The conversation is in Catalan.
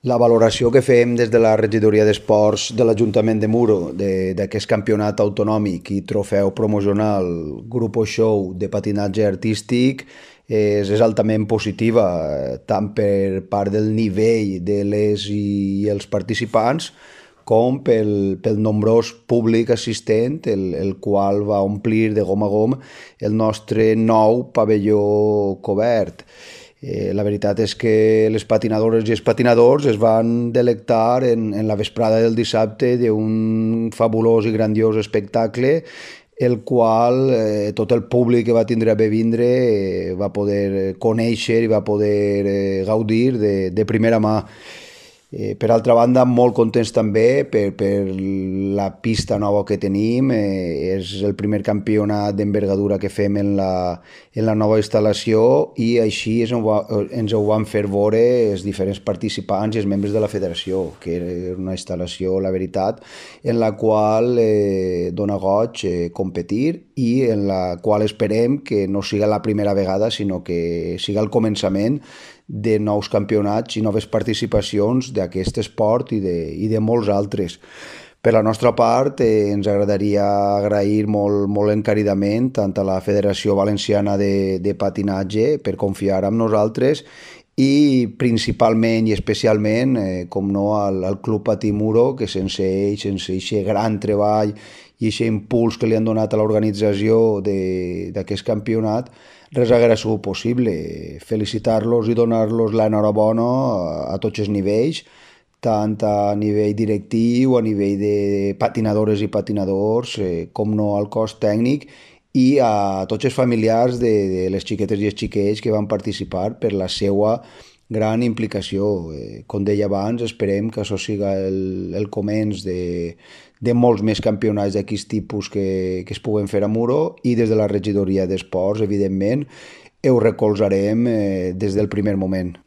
La valoració que fem des de la regidoria d'Esports de l'Ajuntament de Muro d'aquest campionat autonòmic i trofeu promocional Grupo Show de patinatge artístic és altament positiva, tant per part del nivell de les i els participants com pel nombrós públic assistent, el qual va omplir de gom a gom el nostre nou pavelló cobert. La veritat és que les patinadores i els patinadors es van delectar en la vesprada del dissabte d'un fabulós i grandiós espectacle el qual tot el públic que va tindre a bé vindre va poder conèixer i va poder gaudir de primera mà. Per altra banda, molt contents també per la pista nova que tenim. És el primer campionat d'envergadura que fem en la nova instal·lació i així ens ho van fer veure els diferents participants i els membres de la federació, que era una instal·lació, la veritat, en la qual dona goig competir i en la qual esperem que no siga la primera vegada, sinó que siga el començament de nous campionats i noves participacions d'aquest esport i de molts altres. Per la nostra part, ens agradaria agrair molt encaridament tant a la Federació Valenciana de Patinatge per confiar en nosaltres i principalment i especialment, com no, al Club Patimuro, que sense ells, sense aquest gran treball i aquest impuls que li han donat a l'organització d'aquest campionat, res haguera sigut possible. Felicitar-los i donar-los l'enhorabona a tots els nivells, tant a nivell directiu, a nivell de patinadores i patinadors, com no al cos tècnic, i a tots els familiars de les xiquetes i els xiquets que van participar per la seva gran implicació. Com deia abans, esperem que això siga el començ de molts més campionats d'aquest tipus que es puguen fer a Muro i des de la regidoria d'Esports, evidentment, ho recolzarem des del primer moment.